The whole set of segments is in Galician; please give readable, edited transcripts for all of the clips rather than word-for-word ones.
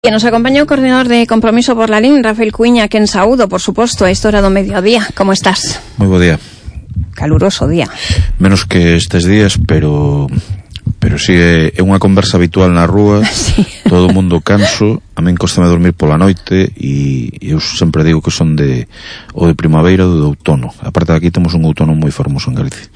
E nos acompaña o coordinador de Compromiso por la LIN, Rafael Cuiña, que en saúdo, por suposto, a esta hora do mediodía. Como estás? Moi bo día. Caluroso día. Menos que estes días, pero si é unha conversa habitual na rúa. Sí. Todo o mundo canso. A min costame dormir pola noite e eu sempre digo que son de primavera ou de outono. A parte de aquí temos un outono moi fermoso en Galicia.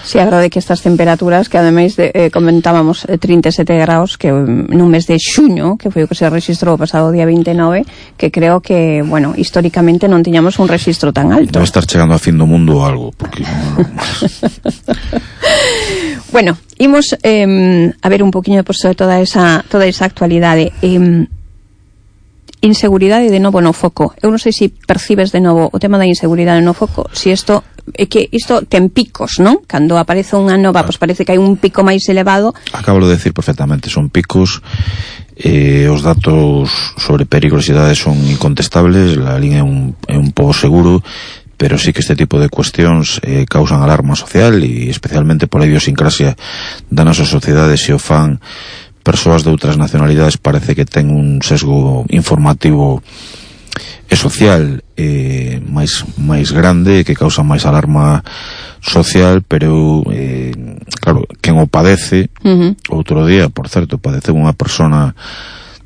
Si, a verdade que estas temperaturas, que ademais comentábamos 37 graus, que nun mes de xuño, que foi o que se registrou o pasado día 29, que creo que, bueno, históricamente non tiñamos un registro tan alto. Debe estar chegando a fin do mundo ou algo, porque Bueno, imos a ver un poquinho pues, toda esa actualidade. Inseguridade de novo no foco. Eu non sei se percibes de novo o tema da inseguridade no foco, se isto é que isto ten picos, non? Cando aparece unha nova, pois parece que hai un pico máis elevado. Acabo de decir perfectamente, son picos. Os datos sobre perigosidade son incontestables, la línea é un pouco seguro, pero sí que este tipo de cuestións causan alarma social e especialmente pola idiosincrasia da nosa sociedade. Se o fan persoas de outras nacionalidades, parece que ten un sesgo informativo e social máis grande, que causa máis alarma social, pero claro, quen o padece, outro día, por certo, padece unha persona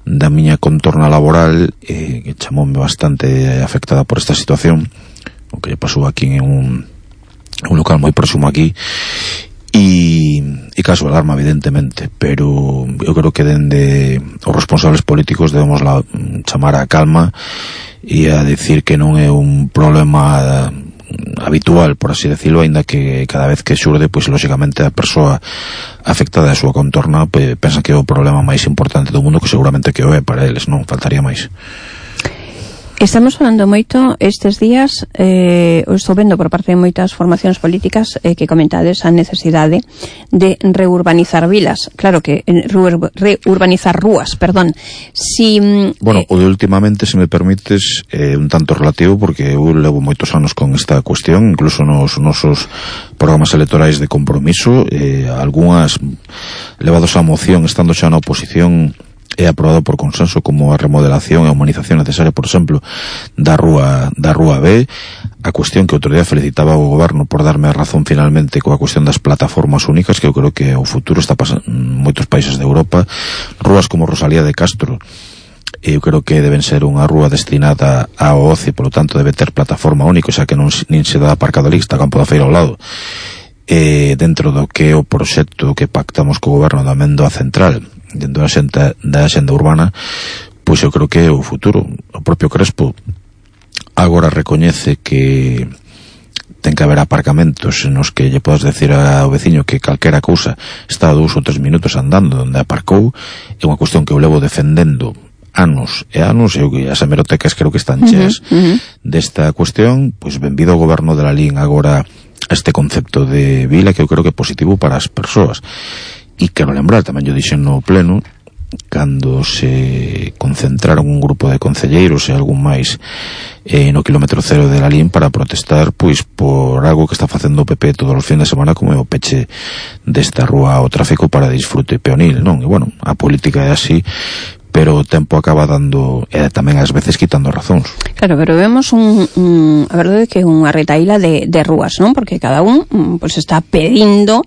da miña contorna laboral que chamoume bastante afectada por esta situación, o que lle pasou aquí en un local moi próximo aquí. E caso alarma, evidentemente, pero eu creo que dende os responsables políticos debemos chamar a calma e a decir que non é un problema habitual, por así decirlo, aínda que cada vez que xurde, pois lógicamente a persoa afectada a súa contorna pensa que é o problema máis importante do mundo, que seguramente que o é para eles, non faltaría máis. Estamos falando moito estes días, estou vendo por parte de moitas formacións políticas que comentades a necesidade de reurbanizar vilas. Claro que reurbanizar rúas, perdón. Bueno, o de últimamente, se me permites, un tanto relativo, porque eu levo moitos anos con esta cuestión, incluso nos nosos programas electorais de compromiso, algunhas levados a moción estando xa na oposición, é aprobado por consenso, como a remodelación e a humanización necesaria, por exemplo, da rúa B. A cuestión que outro día felicitaba o goberno por darme a razón finalmente coa cuestión das plataformas únicas, que eu creo que o futuro está pasando en moitos países de Europa. Rúas como Rosalía de Castro, eu creo que deben ser unha rúa destinada ao ocio, polo tanto debe ter plataforma única, xa que nin se dá aparcado ali, está Campo da Feira ao lado. Dentro do que é o proxecto que pactamos co goberno da Amendoa Central, dentro da xenda urbana, pois eu creo que é o futuro. O propio Crespo agora recoñece que ten que haber aparcamentos nos que lle podes decir ao veciño que calquera cousa está a 2 ou 3 minutos andando onde aparcou. É unha cuestión que eu levo defendendo anos e anos, e as hemerotecas creo que están cheas desta cuestión. Pois benvido ao goberno de la LIN agora a este concepto de vila, que eu creo que é positivo para as persoas. E quero lembrar, tamén yo dixen no pleno, cando se concentraron un grupo de concelleiros e algún máis no kilómetro cero de la LIN para protestar pois por algo que está facendo o PP todos os fines de semana, como é o peche desta rúa ao tráfico para disfrute peonil, non? E bueno, a política é así, pero o tempo acaba dando tamén ás veces quitando razóns. Claro, pero vemos a verdade que é unha retaíla de rúas, non? Porque cada un pues está pedindo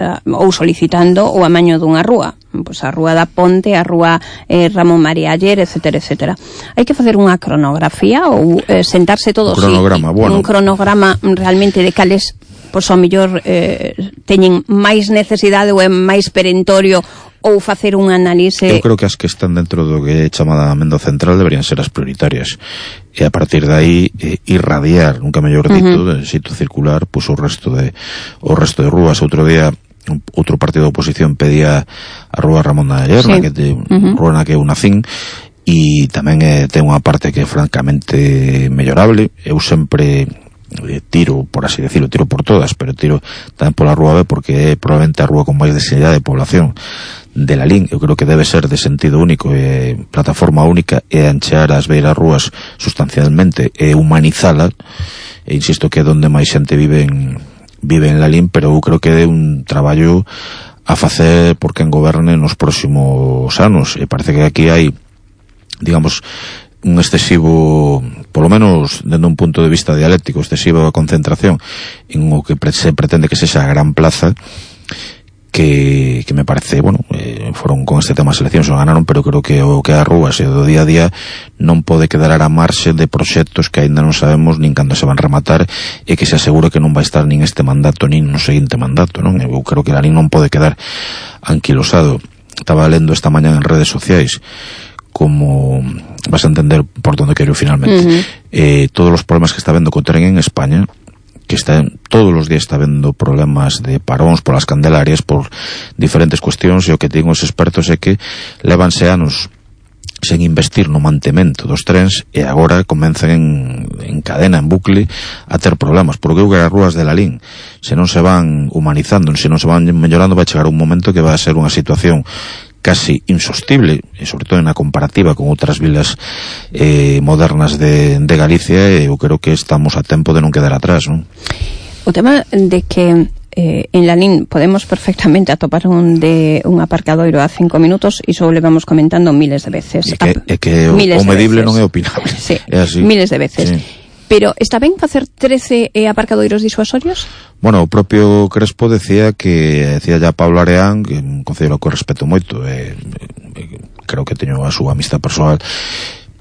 ou solicitando o amaño dunha rúa, pois a rúa da Ponte, a rúa Ramón María Aller, etcétera, etcétera. Hai que facer unha cronografía ou sentarse todos un cronograma realmente de cales, pois ao mellor teñen máis necesidade ou é máis perentorio, ou facer un análise. Eu creo que as que están dentro do que é chamada Amendoa Central deberían ser as prioritarias, e a partir de aí irradiar, nunca mellor dito, de xeito circular, pois o resto de rúas. Outro día outro partido de oposición pedía a rúa Ramón de Aller, rúa na que eu nacín, e tamén ten unha parte que é francamente mellorable. Eu sempre tiro, por así decirlo, tiro por todas, pero tiro tamén pola rúa B, porque é probablemente a rúa con máis densidade de población de la LIN. Eu creo que debe ser de sentido único, plataforma única, e anchear as beiras rúas sustancialmente e humanizala, e insisto que é onde máis xente vive en la LIN, pero eu creo que é un traballo a facer por quen goberne nos próximos anos, e parece que aquí hai digamos, un excesivo, polo menos dende un punto de vista dialéctico, excesiva concentración en o que se pretende que sexa a gran plaza, que me parece, bueno, foron con este tema as eleccións, o ganaron, pero creo que o que a Rúas e do día a día non pode quedar a marxe de proxectos que aínda non sabemos nin cando se van rematar, e que se asegura que non vai estar nin este mandato nin no seguinte mandato, non? Eu creo que Lalín non pode quedar anquilosado. Estaba lendo esta mañá en redes sociais, como vas a entender por donde quero finalmente, todos os problemas que está vendo co tren en España, que todos os días está vendo problemas de paróns polas Candelarias, por diferentes cuestións, e o que digo os expertos é que levanse anos sen investir no mantemento dos trens, e agora comenzan en cadena, en bucle, a ter problemas, porque eu que as rúas de Lalín, se non se van humanizando, se non se van mellorando, vai chegar un momento que vai a ser unha situación casi insostible, e sobre todo na comparativa con outras vilas modernas de Galicia, e eu creo que estamos a tempo de non quedar atrás, non? O tema de que en Lalín podemos perfectamente atopar un aparcadoiro a 5 minutos, iso o levamos comentando miles de veces. É que o medible non é opinable. Sí, é así. Miles de veces. Sí. Pero está ben facer 13 aparcadoiros disuasorios? Bueno, o propio Crespo decía ya Pablo Areán, que un concelleiro que respeto moito, creo que teño a súa amistad persoal,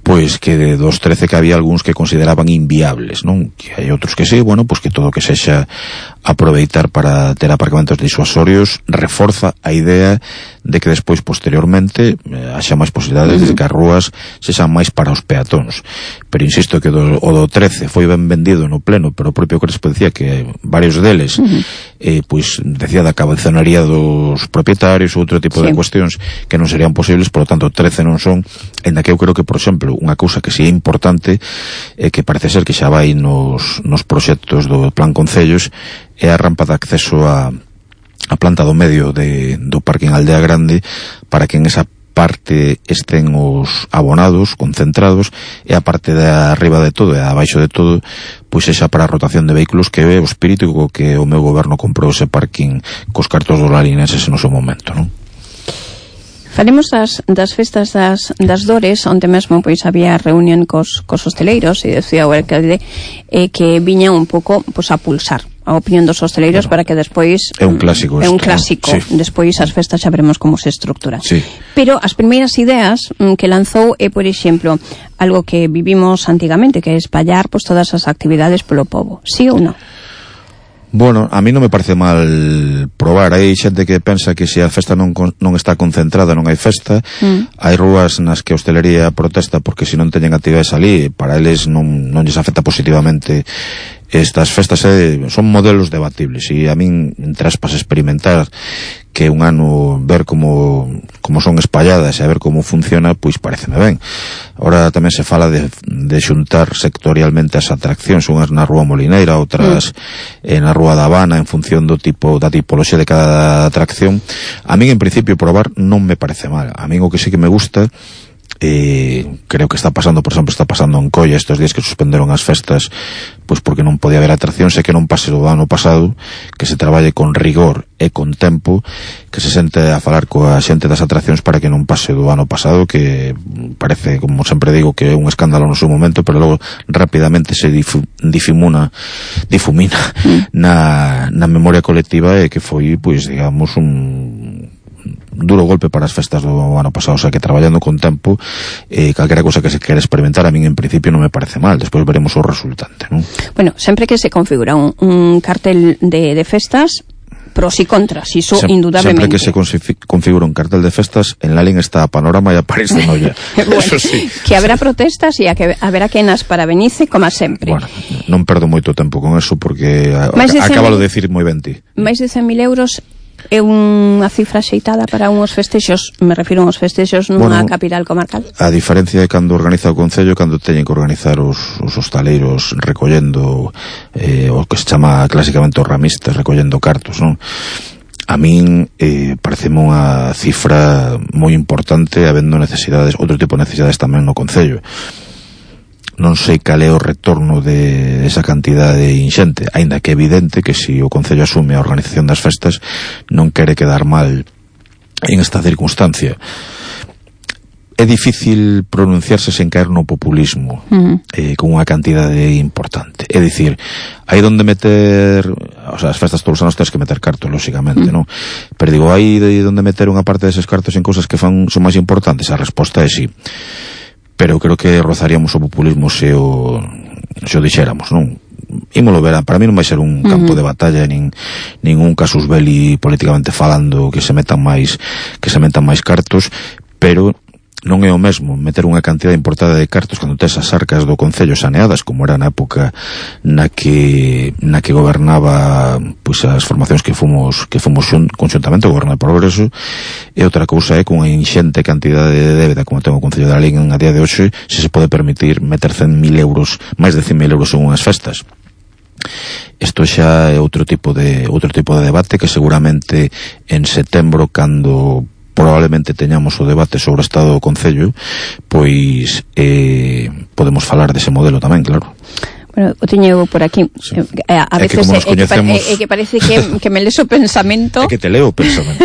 pois que de dos 13 que había algúns que consideraban inviables, non? Que hai outros que sí, bueno, pois que todo que sexa aproveitar para ter aparcamentos disuasorios reforza a idea de que despois, posteriormente, haxa máis posibilidades de que as rúas sexan máis para os peatóns. Pero insisto que o do 13 foi ben vendido no pleno, pero o propio Crespo decía que varios deles pois decía da cabezonería dos propietarios ou outro tipo de cuestións que non serían posibles, por lo tanto 13 non son, ainda que eu creo que, por exemplo, unha cousa que si é importante, que parece ser que xa vai nos proxectos do Plan Concellos, é a rampa de acceso a planta do medio do parque en Aldea Grande, para que en esa parte estén os abonados concentrados, e a parte de arriba de todo e abaixo de todo pois esa para a rotación de vehículos, que é o espírito que o meu goberno comprou ese parking cos cartos dos lalinenses en o seu momento, non? Falemos das festas das Dores, onde mesmo pois había reunión cos hosteleiros, e decía o alcalde que viña un pouco pois a pulsar a opinión dos hosteleiros, para que despois é un clásico, sí. Despois as festas xa veremos como se estructuran, sí. Pero as primeiras ideas que lanzou é, por exemplo, algo que vivimos antigamente, que é espallar pois todas as actividades polo pobo, sí ou non? Bueno, a mí non me parece mal probar. Hai xente que pensa que se a festa non está concentrada non hai festa. Hai rúas nas que a hostelería protesta porque se non teñen actividades ali, para eles non lles afecta positivamente estas festas. Son modelos debatibles, e a min traspas experimentar que un ano ver como son espalladas e a ver como funciona, pois pareceme ben. Ahora tamén se fala de xuntar sectorialmente as atraccións, unhas na Rúa Molineira, outras na Rúa da Habana, en función da tipoloxía de cada atracción. A min, en principio, probar non me parece mal. A min o que sí que me gusta, creo que está pasando, por exemplo, está pasando en Colla estes días que suspenderon as festas pois porque non podía haber atraccións, e que non pase do ano pasado, que se traballe con rigor e con tempo, que se sente a falar coa xente das atraccións para que non pase do ano pasado, que parece, como sempre digo, que é un escándalo no seu momento, pero logo rapidamente se difumina na memoria colectiva, e que foi, pois, digamos, un duro golpe para as festas do ano pasado. O sea, que traballando con tempo, calquera cosa que se quere experimentar, a min en principio non me parece mal. Despois veremos o resultante, non? Bueno, sempre que se configura un cartel de festas, pros e contras, iso indudablemente. Sempre que se configura un cartel de festas, en Lalín está a Panorama e a París de Noia. Bueno, eso sí. Que haberá protestas e haberá quenas para Benice, como sempre. Bueno, non perdo moito tempo con eso, porque acábalo de decir moi ben ti. Máis de 100.000 euros é unha cifra xeitada para unhos festexos, me refiro a uns festexos nunha capital comarcal. A diferencia de cando organiza o Concello, cando teñen que organizar os hostaleiros recollendo o que se chama clásicamente os ramistas, recollendo cartos, non? A min pareceme unha cifra moi importante, habendo necesidades, outro tipo de necesidades tamén no Concello. Non sei cal é o retorno de esa cantidade inxente, aínda que é evidente que se o Concello asume a organización das festas non quere quedar mal en esta circunstancia. é difícil pronunciarse sen caer no populismo, con unha cantidade importante. É dicir, hai donde meter, o sea, as festas todos os anos tens que meter cartos, lógicamente, non? Pero digo, hai donde meter unha parte deses cartos en cousas que son máis importantes? A resposta é sí. Pero creo que rozaríamos o populismo se o dixéramos, non? Ímolo ver, para mí non vai ser un campo de batalla nin un casus belli políticamente falando que se metan máis cartos, pero non é o mesmo meter unha cantidad importante de cartos cando tes as arcas do Concello saneadas, como era na época na que gobernaba pois as formacións que fomos conxuntamente o Goberno de Progreso, e outra cousa é con unha inxente cantidade de débeda como ten o Concello de Lalín a día de hoxe, se pode permitir meter 100.000 euros, máis de 100.000 euros en unhas festas. Isto xa é outro tipo de debate que seguramente en setembro, cando probablemente teñamos o debate sobre o estado do Concello, pois podemos falar dese modelo tamén, claro. Bueno, o teño por aquí. Sí. A veces que parece que me lees o pensamento. É que te leo o pensamento.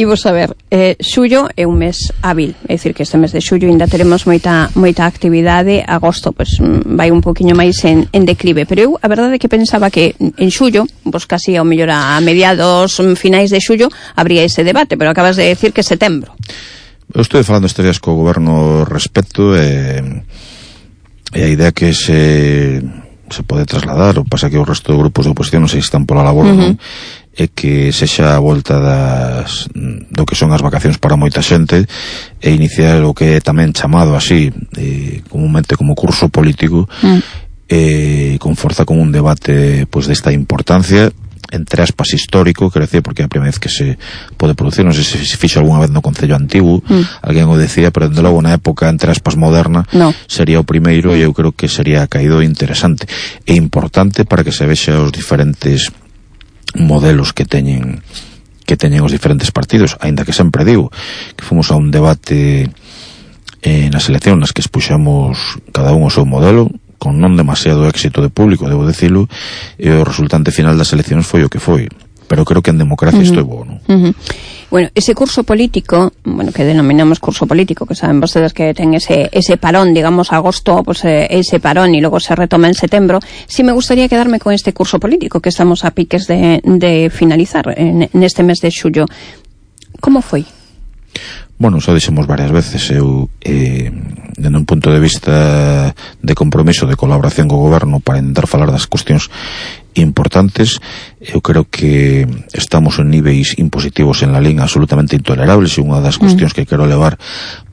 E vos a ver, xullo é un mes hábil, é dicir que este mes de xullo ainda teremos moita actividade. Agosto pois vai un poquinho máis en declive, pero eu a verdade é que pensaba que en xullo, pois casi ao mellor a mediados, finais de xullo habría ese debate, pero acabas de decir que setembro. Eu estou falando estes días co goberno respecto e a idea que se pode trasladar, o pasa que o resto de grupos de oposición non sei se están pola labor ou non, é que sexa a volta do que son as vacacións para moita xente e iniciar o que é tamén chamado así comúnmente como curso político, con forza, con un debate pois desta importancia, entre aspas histórico, quero decir, porque é a primeira vez que se pode producir, non sei se fixo algunha vez no Concello Antigo, alguén o decía, pero dende logo na época entre aspas moderna sería o primeiro, e eu creo que sería caído interesante e importante para que se vexa os diferentes modelos que teñen os diferentes partidos, aínda que sempre digo que fomos a un debate nas eleccións nas que expuxamos cada un o seu modelo, con non demasiado éxito de público, debo decirlo, e o resultante final das eleccións foi o que foi, pero creo que en democracia isto é bo, non? Bueno, ese curso político, bueno, que denominamos curso político, que saben vostedes que ten ese parón, digamos, agosto, pues ese parón, y luego se retoma en setembro. Sí me gustaría quedarme con este curso político que estamos a piques de finalizar neste mes de xullo. Como foi? Bueno, xa dixemos varias veces, eu dende un punto de vista de compromiso, de colaboración co goberno para intentar falar das cuestións importantes, eu creo que estamos en niveis impositivos en la liña absolutamente intolerables, e unha das cuestións que quero levar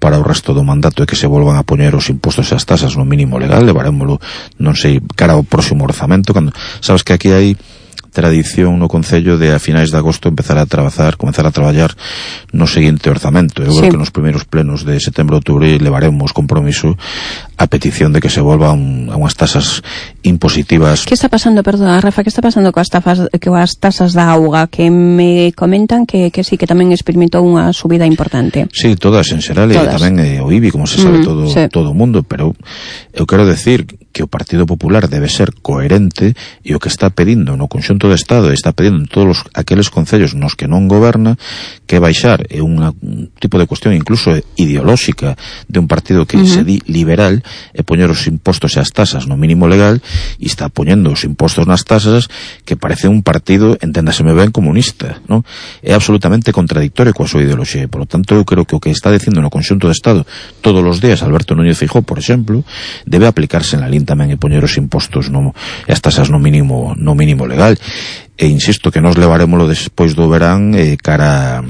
para o resto do mandato é que se volvan a poñer os impostos e as tasas no mínimo legal. Levarémolo, non sei, cara ao próximo orzamento, cando sabes que aquí hai tradición no Concello de a finais de agosto comezar a traballar no seguinte orzamento. Eu creo que nos primeiros plenos de setembro, outubro levaremos compromiso a petición de que se volvan a unhas tasas impositivas. Que está pasando, perdona, Rafa, que está pasando coas tasas da auga, que me comentan que sí, que tamén experimentou unha subida importante? Sí, todas en xeral, e tamén o IBI, como se sabe todo o mundo, pero eu quero decir que o Partido Popular debe ser coherente, e o que está pedindo no conxunto do Estado, está pedindo en todos aqueles concellos nos que non goberna, que baixar é un tipo de cuestión incluso ideolóxica de un partido que se di liberal, e poñer os impostos e as tasas no mínimo legal, e está poñendo os impostos nas tasas, que parece un partido, enténdaseme ben, comunista, non? É absolutamente contradictorio coa súa ideoloxía, e, por lo tanto, eu creo que o que está dicindo no conxunto do Estado todos os días Alberto Núñez Feijóo, por exemplo, debe aplicarse en la LIN tamén, e poñer os impostos e as tasas no mínimo legal. E insisto que nos levarémoslo despois do verán cara,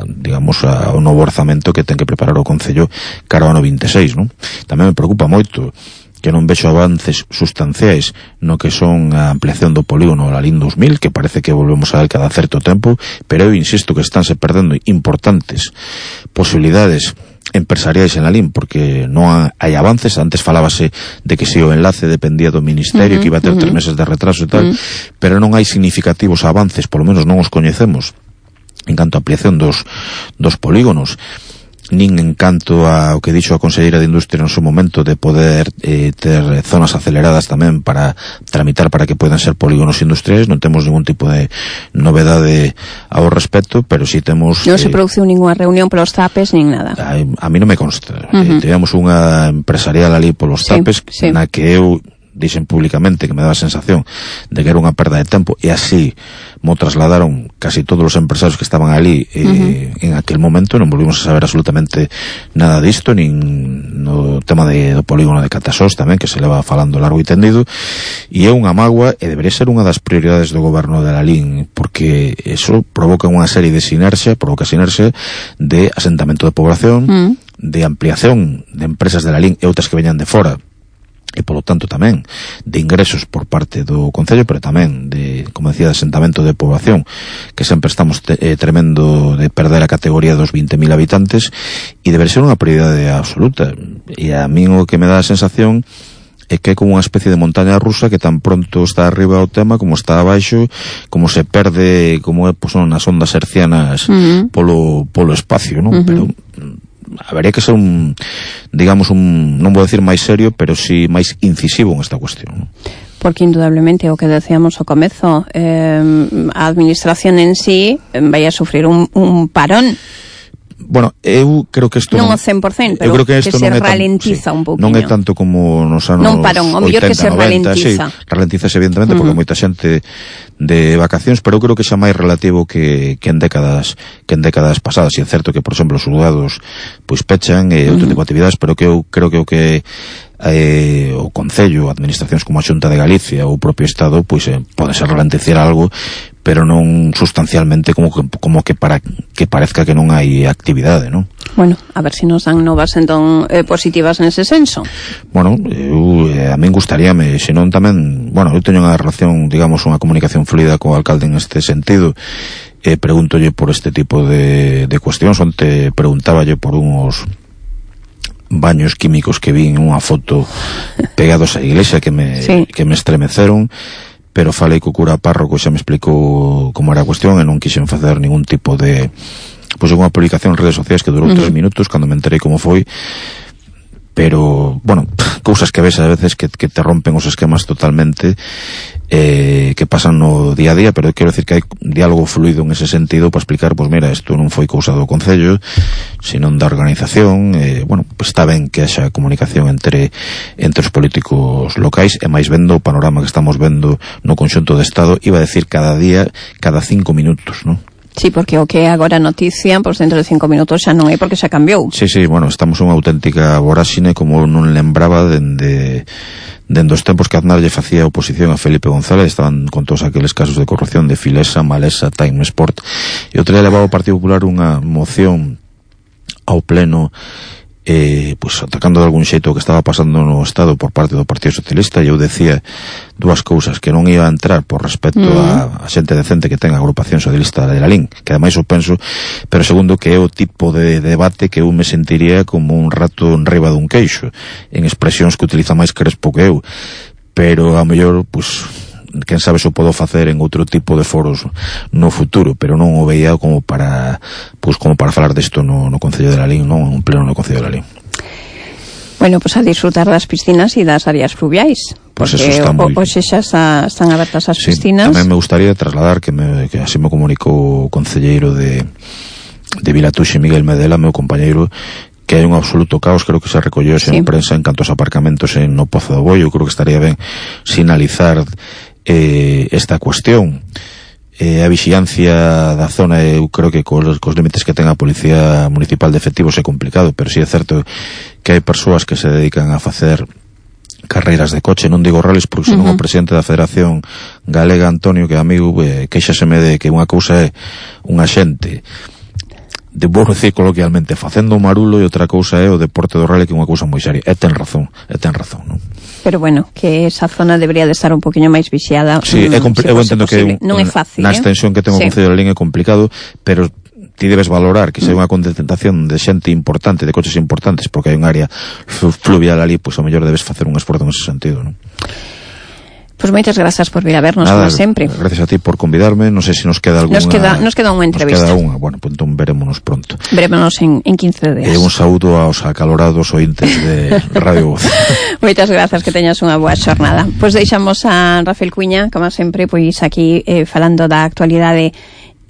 digamos, ao novo orzamento que ten que preparar o Concello cara ao ano 26, non? Tamén me preocupa moito que non vexo avances sustanciais no que son a ampliación do polígono da LIN 2000, que parece que volvemos a ver cada certo tempo, pero eu insisto que estánse perdendo importantes posibilidades empresariais en la LIN, porque non hai avances. Antes falábase de que se o enlace dependía do Ministerio, que iba a ter 3 meses de retraso e tal, pero non hai significativos avances, polo menos non os coñecemos, en canto a ampliación dos polígonos. nin en canto ao que dixo a Conselleira de Industria no seu momento de poder ter zonas aceleradas tamén para tramitar para que poidan ser polígonos industriais. Non temos ningún tipo de novedade ao respecto, pero si temos... Non se produciu ninguna reunión polos zapes, nin nada. A mí non me consta. Tivemos unha empresarial ali polos zapes, na que eu dixen públicamente que me daba a sensación de que era unha perda de tempo, e así mo trasladaron casi todos os empresarios que estaban ali en aquel momento. Non volvimos a saber absolutamente nada disto, nin no tema do polígono de Catasós tamén, que se leva falando largo e tendido, e é unha mágoa, e debería ser unha das prioridades do goberno de Lalín, porque eso provoca unha serie de sinerxia de asentamento de población, de ampliación de empresas de Lalín e outras que veñan de fora, e polo tanto tamén de ingresos por parte do Concello, pero tamén de, como decía, de asentamento de población, que sempre estamos tremendo de perder a categoría dos 20.000 habitantes, e debe ser unha prioridade absoluta. E a min o que me dá a sensación é que é como unha especie de montaña rusa, que tan pronto está arriba o tema como está abaixo, como se perde, como é, pues, son as ondas hercianas polo espacio, non? Pero habería que ser digamos, non vou decir máis serio, pero si máis incisivo en esta cuestión. Porque indudablemente o que decíamos ao comezo, a administración en sí vai a sufrir un parón. Bueno, eu creo que isto non o 100%, pero que se ralentiza un pouquinho. Non é tanto como nos anos 80, 90, o mellor que se ralentiza. Sí, ralentiza evidentemente, porque moita xente de vacacións, pero eu creo que xa máis relativo que en décadas pasadas. E é certo que, por exemplo, os xulgados pois pechan outro tipo de actividades, pero que eu creo que o que o Concello, administracións como a Xunta de Galicia ou o propio Estado, pois pode ser ralentizar algo, pero non sustancialmente como que parezca que non hai actividade, non? Bueno, a ver se nos dan novas entón positivas nese senso. Bueno, a min gustaríame, senón tamén, bueno, eu teño unha relación, digamos, unha comunicación fluida co alcalde en este sentido. Pregúntolle por este tipo de cuestións. Onte preguntáballe por uns baños químicos que vi en unha foto pegados á iglesia que me estremeceron, pero falei co cura párroco, xa me explicou como era a cuestión, e non quixen facer ningún tipo de unha publicación en redes sociais que durou 3 minutos cando me enterei como foi. Pero, bueno, cousas que ves a veces que te rompen os esquemas totalmente, que pasan no día a día, pero quero decir que hai diálogo fluido en ese sentido para explicar, pois mira, isto non foi cousa do Concello, senón da organización. Bueno, pues está ben que haxa comunicación entre os políticos locais, e máis vendo o panorama que estamos vendo no conxunto do Estado, iba a decir cada día, cada 5 minutos, non? Sí, porque o que é agora noticia, pois dentro de 5 minutos xa non é, porque xa cambiou. Sí, bueno, estamos unha auténtica voráxine, como non lembraba dende os tempos que Aznar lle facía oposición a Felipe González. Estaban con todos aqueles casos de corrupción de Filesa, Malesa, Time Sport, e outro día levaba o Partido Popular unha moción ao pleno, pues atacando de algún xeito o que estaba pasando no Estado por parte do Partido Socialista, e eu decía dúas cousas: que non iba a entrar por respecto a xente decente que ten a agrupación socialista de Lalín, que ademais o penso, pero segundo, que é o tipo de debate que eu me sentiría como un rato en riba dun queixo, en expresións que utiliza máis Crespo que eu, pero a mellor, pues quen sabe se o podo facer en outro tipo de foros no futuro, pero non o veía como para falar desto no Concello de Lalín, non en un pleno no Concello de Lalín. Bueno, pues a disfrutar das piscinas e das áreas fluviais, pues porque hoxe xa están abertas as piscinas. Tamén me gustaría trasladar que así me comunicou o concelleiro de Vilatuxe, Miguel Medela, meu compañeiro, que hai un absoluto caos. Creo que se recolleu en prensa en canto aos aparcamentos no Pozo do Bollo. Creo que estaría ben sinalizar esta cuestión. A vixiancia da zona, eu creo que cos límites que ten a Policía Municipal de efectivos é complicado, pero si é certo que hai persoas que se dedican a facer carreiras de coche, non digo rallies, porque senón o presidente da Federación Galega, Antonio, que é amigo, queixaseme de que unha cousa é unha xente, vou decir coloquialmente, facendo o marulo, e outra cousa é o deporte do rally, que é unha cousa moi seria. E ten razón, non? Pero bueno, que esa zona debería de estar un poquinho máis vixiada. Sí, eu entendo que non é fácil, na extensión que ten o Concello de Lalín é complicado, pero ti debes valorar que se hai unha concentración de xente importante, de coches importantes, porque hai un área fluvial ali, pois ao mellor debes facer un esforzo nese sentido, non? Pues moitas grazas por vir a vernos, como sempre. Gracias a ti por convidarme. Non sei se nos queda alguna... Nos queda unha entrevista. Bueno, pues entón verémonos pronto. Verémonos en 15 días. Un saúdo aos acalorados ointes de Radio Voz. Moitas grazas, que teñas unha boa xornada. Pois deixamos a Rafael Cuiña, como sempre, pois aquí falando da actualidade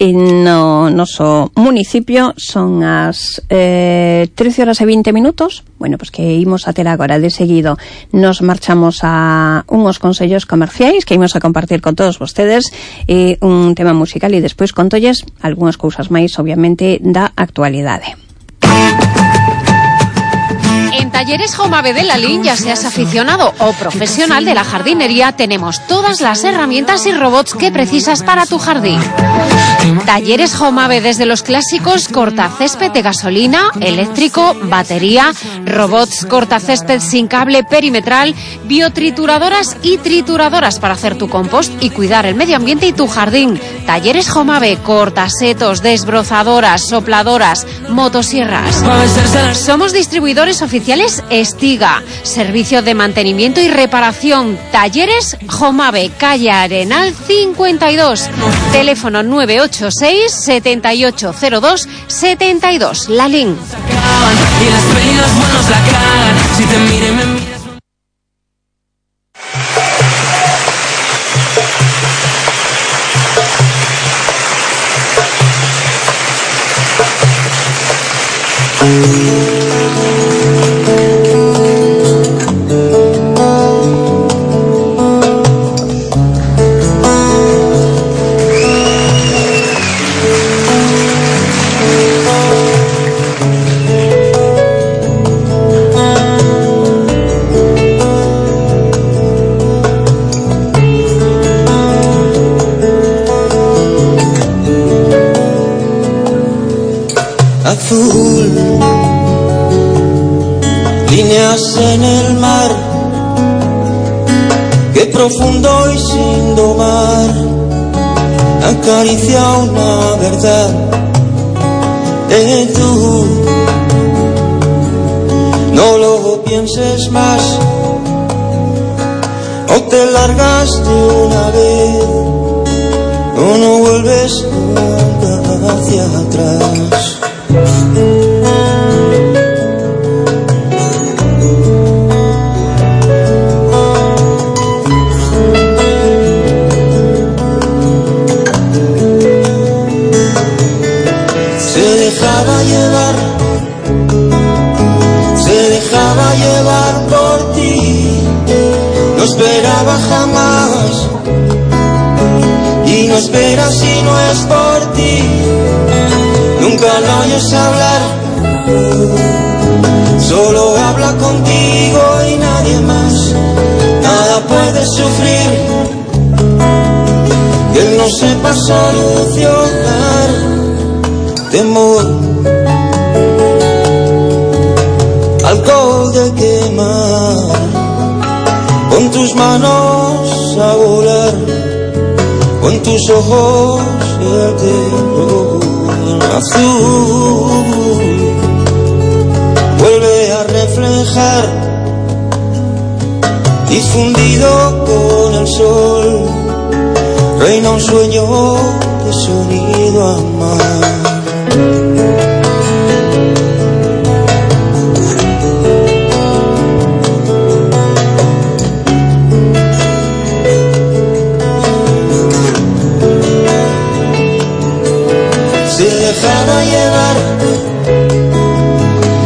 no noso municipio. Son as 13:20. Bueno, pues que imos a ter agora de seguido. Nos marchamos a unhos consellos comerciais que imos a compartir con todos vostedes, un tema musical, e despois contolles algunhas cousas máis, obviamente, da actualidade. En Talleres Jomave de Lalín, ya seas aficionado o profesional de la jardinería, tenemos todas las herramientas y robots que precisas para tu jardín. Talleres Jomave, desde los clásicos cortacésped de gasolina, eléctrico, batería, robots cortacésped sin cable perimetral, biotrituradoras y trituradoras para hacer tu compost y cuidar el medio ambiente y tu jardín. Talleres Jomave, cortasetos, desbrozadoras, sopladoras, motosierras. Somos distribuidores oficiales Estiga, servicio de mantenimiento y reparación. Talleres Jomave, calle Arenal 52, teléfono 986 7802 72, Lalín. Azul, líneas en el mar, qué profundo y sin domar, acaricia una verdad de tú. No lo pienses más, o te largas de una vez, o no vuelves nunca hacia atrás. Se dejaba llevar por ti, no esperaba jamás, y no espera si no es por ti. Nunca lo oyes hablar, solo habla contigo y nadie más. Nada puede sufrir que él no sepa solucionar. Temor, alcohol de quemar, con tus manos a volar, con tus ojos el terror. Azul vuelve a reflejar, difundido con el sol, reina un sueño de sonido a mar.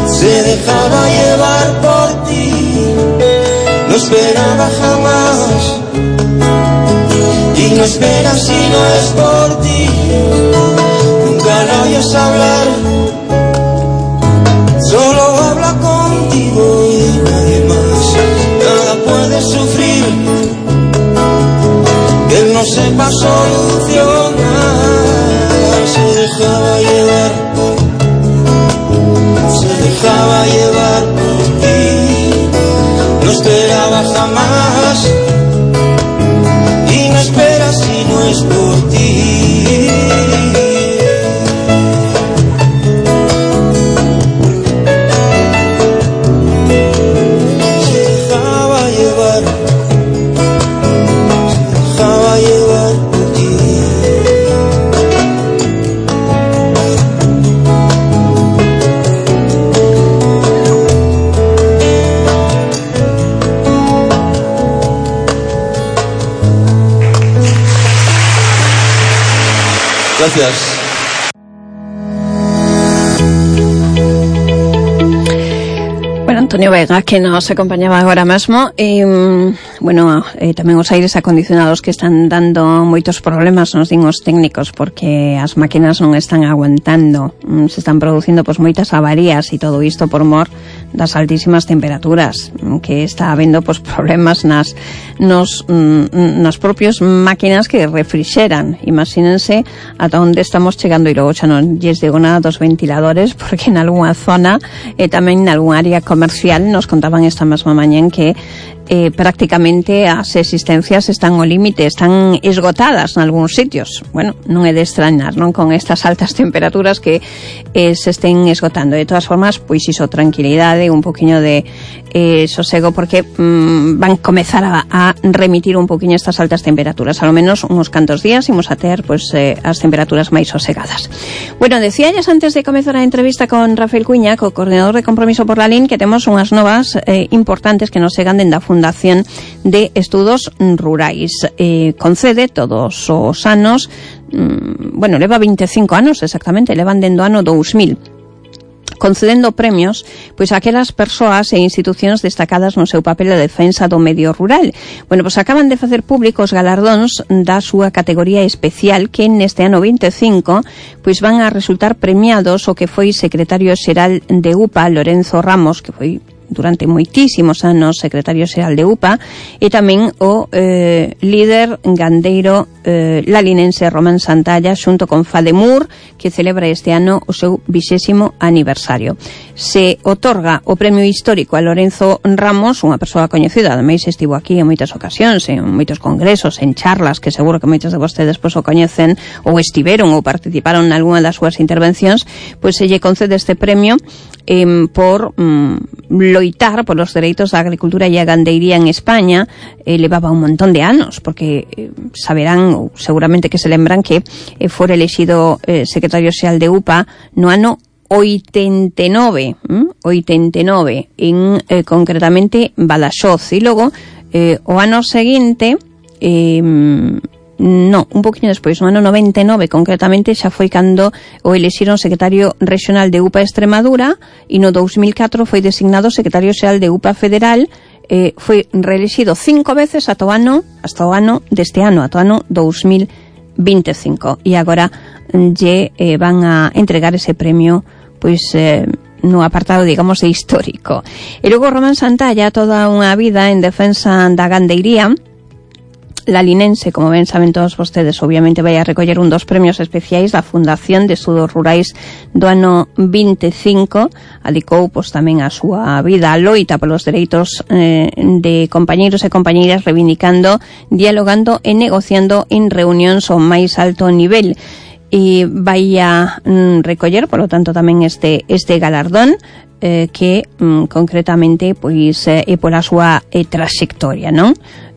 Se dejaba llevar por ti, no esperaba jamás, y no espera si no es por ti. Nunca lo oyes hablar, solo habla contigo y nadie más. Nada puede sufrir que él no sepa solucionar. Se dejaba llevar, se dejaba llevar por ti, no esperaba jamás, y no espera si no es por ti. Gracias. Bueno, Antonio Vega, que nos acompañaba agora mesmo, tamén os aires acondicionados que están dando moitos problemas, nos din os técnicos, porque as máquinas non están aguantando, se están producindo moitas avarías e todo isto por mor das altísimas temperaturas, que está habendo problemas nas propias máquinas que refrixeran. Imagínense ata onde estamos chegando, e logo xa non lles digo nada dos ventiladores, porque en algunha zona e tamén en algún área comercial nos contaban esta mesma mañán que prácticamente as existencias están ao límite, están esgotadas en algúns sitios. Bueno, non é de extrañar, non, con estas altas temperaturas que se estén esgotando. De todas formas, pois iso, tranquilidade, un poquinho de sosego, porque van comezar a remitir un poquinho estas altas temperaturas. A lo menos uns cantos días imos a ter as temperaturas máis sosegadas. Bueno, decíalles antes de comezar a entrevista con Rafael Cuña, co coordinador de Compromiso por la LIN, que temos unhas novas importantes que nos chegan dende a Fundación de Estudos Rurais. Concede todos os anos, leva 25 anos exactamente, levan dendo ano 2000, concedendo premios a aquelas persoas e institucións destacadas no seu papel de defensa do medio rural. Acaban de facer públicos galardóns da súa categoría especial, que neste ano 25 van a resultar premiados o que foi secretario xeral de UPA, Lorenzo Ramos, que foi durante moitísimos anos secretario xeral de UPA, e tamén o líder gandeiro lalinense Román Santalla, xunto con FADEMUR, que celebra este ano o seu 20º aniversario. Se otorga o premio histórico a Lorenzo Ramos, unha persoa coñecida, ademais estivo aquí en moitas ocasións, en moitos congresos, en charlas, que seguro que moitos de vostedes o coñecen, ou estiveron ou participaron en algunha das súas intervencións, se lle concede este premio por loitar polos dereitos da agricultura e a gandeiría en España. Levaba un montón de anos, porque saberán, ou seguramente que se lembran, que fora elexido secretario xeral de UPA no ano 89, en concretamente Badaxoz, e logo o ano seguinte un poquinho despois, no ano 99 concretamente, xa foi cando o elixiron secretario regional de UPA Extremadura, e no 2004 foi designado secretario xeral de UPA Federal. Foi reelexido 5 veces ata o ano deste ano, ata o ano 2025, e agora lle van a entregar ese premio no apartado, digamos, de histórico. E logo Román Santalla, toda unha vida en defensa da gandeiría lalinense, como ben saben todos vostedes, obviamente vai a recoller un dos premios especiais da Fundación de Estudos Rurais do ano 25. Adicou tamén a súa vida a loita polos dereitos de compañeiros e compañeiras, reivindicando, dialogando e negociando en reunións ao máis alto nivel. E vai a recoller, polo tanto, tamén este galardón, que concretamente é pola súa traxectoria, non?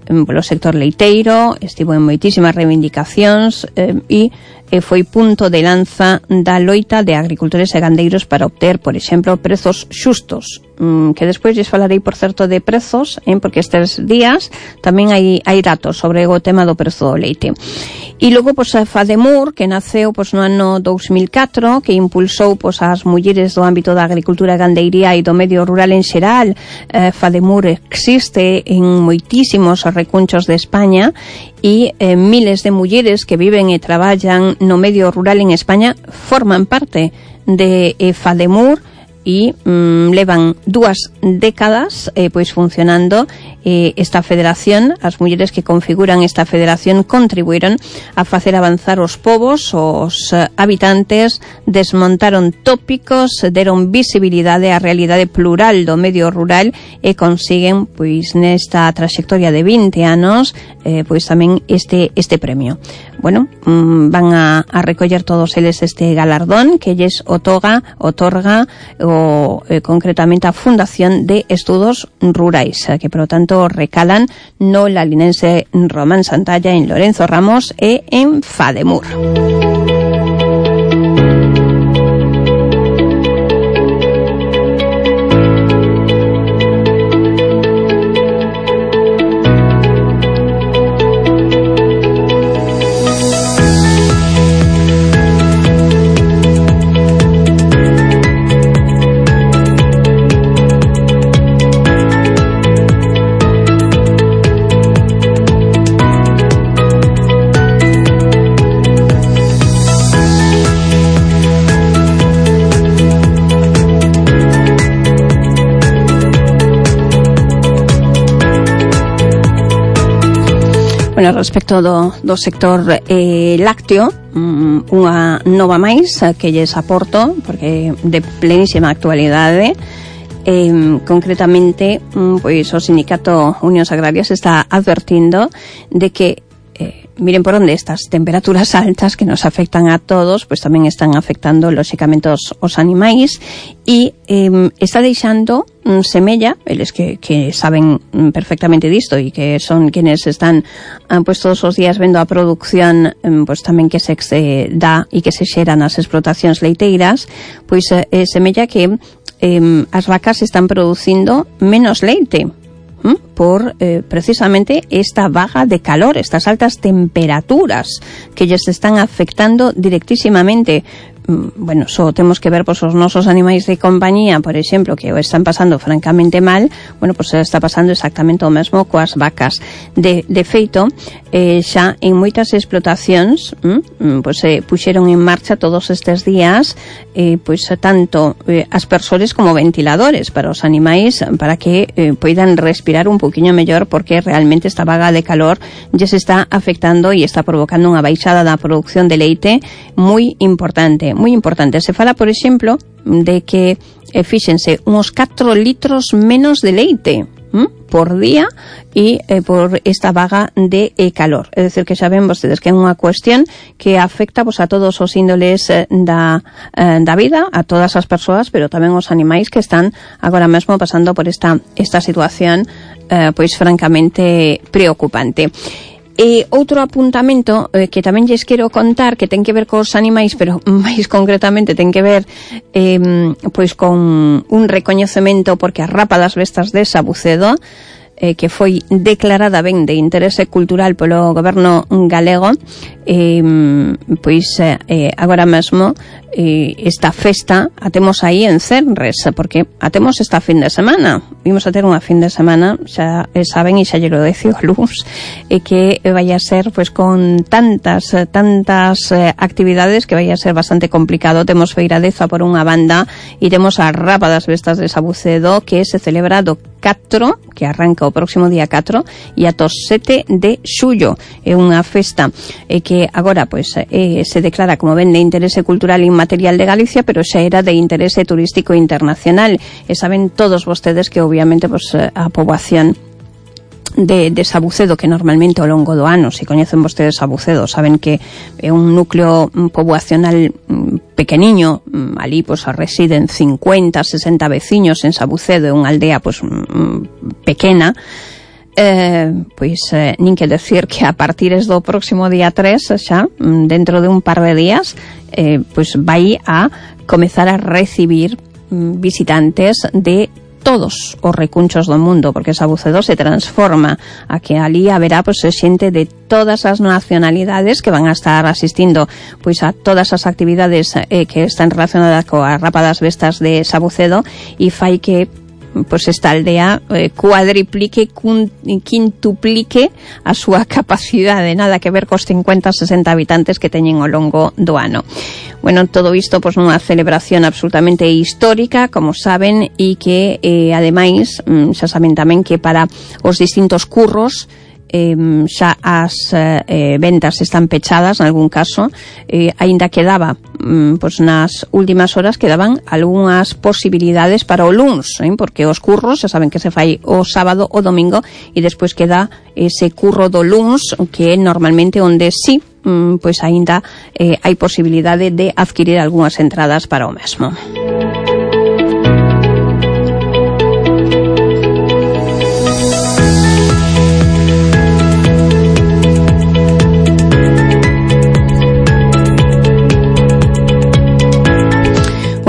Polo sector leiteiro, estivo en moitísimas reivindicacións e foi punto de lanza da loita de agricultores e gandeiros para obter, por exemplo, prezos xustos, que despois lles falarei, por certo, de prezos, porque estes días tamén hai datos sobre o tema do prezo do leite. E logo, a FADEMUR, que naceu no ano 2004, que impulsou as mulleres do ámbito da agricultura e gandeiría e do medio rural en xeral. FADEMUR existe en moitísimos recunchos de España, e miles de mulleres que viven e traballan no medio rural en España forman parte de FADEMUR, e levan 2 décadas funcionando esta federación. As mulleres que configuran esta federación contribuíron a facer avanzar os povos, os habitantes, desmontaron tópicos, deron visibilidade á realidade plural do medio rural e consiguen, nesta traxectoria de 20 anos, tamén este premio. Van a recoller todos eles este galardón que lles otorga concretamente a Fundación de Estudos Rurais, que, por lo tanto, recalan no lalinense Román Santalla, en Lorenzo Ramos e en FADEMUR. Bueno, respecto do sector lácteo, unha nova máis que lles aporto, porque de plenísima actualidade. Concretamente, pois o sindicato Unións Agrarias está advertindo de que miren por onde estas temperaturas altas que nos afectan a todos, pois tamén están afectando lóxicamente os animais, e está deixando semella, eles que saben perfectamente disto e que son quienes están pois todos os días vendo a produción pois tamén que se dá e que se xera nas explotacións leiteiras, pois semella que as vacas están producindo menos leite por precisamente esta vaga de calor, estas altas temperaturas que lles están afectando directísimamente. Bueno, só temos que ver pois os nosos animais de compañía, por exemplo, que o están pasando francamente mal. Bueno, pois está pasando exactamente o mesmo coas vacas. De feito, xa en moitas explotacións pois puxeron en marcha todos estes días pois tanto aspersores como ventiladores para os animais, para que poidan respirar un poquinho mellor, porque realmente esta vaga de calor lles está afectando e está provocando unha baixada da produción de leite moi importante. Se fala, por exemplo, de que fíxense uns 4 litros menos de leite por día e por esta vaga de calor. É dicir, que xa ven vostedes que é unha cuestión que afecta a todos os índoles da vida, a todas as persoas, pero tamén os animais que están agora mesmo pasando por esta situación pois francamente preocupante. E outro apuntamento que tamén lles quero contar, que ten que ver cos animais, pero máis concretamente ten que ver pois con un recoñecemento, porque a rapa das bestas de Sabucedo, que foi declarada ben de interese cultural polo goberno galego, pois agora mesmo esta festa a temos aí en Cenres, porque a temos esta fin de semana. Vimos a ter unha fin de semana, xa saben, e xa lle lo decio a luz, que vai a ser pois con tantas actividades que vai a ser bastante complicado. Temos feiradeza por unha banda e temos a rapa das bestas de Sabucedo, que se celebra do 4, que arranca o próximo día 4 e ata o 7 de xullo. É unha festa que agora pois se declara como ben de interese cultural e inmaterial de Galicia, pero xa era de interese turístico internacional. E saben todos vostedes que obviamente pois a poboación de Sabucedo, que normalmente ao longo do ano, se coñecen vostedes Sabucedo, saben que é un núcleo poboacional pequeniño, ali pois residen 50, 60 veciños en Sabucedo, é unha aldea pois pequena. Pois nin que decir que a partir do próximo día 3, xa dentro de un par de días, pois vai a comezar a recibir visitantes de todos os recunchos do mundo, porque Sabucedo se transforma a que ali haberá pois xente de todas as nacionalidades que van a estar asistindo pois a todas as actividades que están relacionadas coa rapa das bestas de Sabucedo, e fai que pois esta aldea cuadriplique, quintuplique a súa capacidade, nada que ver cos 50-60 habitantes que teñen ao longo do ano. Bueno, todo isto pois nunha celebración absolutamente histórica, como saben, e que ademais xa saben tamén que para os distintos curros xa as ventas están pechadas en algún caso, aínda quedaba pois nas últimas horas quedaban algunhas posibilidades para o luns, porque os curros xa saben que se fai o sábado o domingo, e despois queda ese curro do luns, que é normalmente onde sí pois aínda hai posibilidade de adquirir algunhas entradas para o mesmo.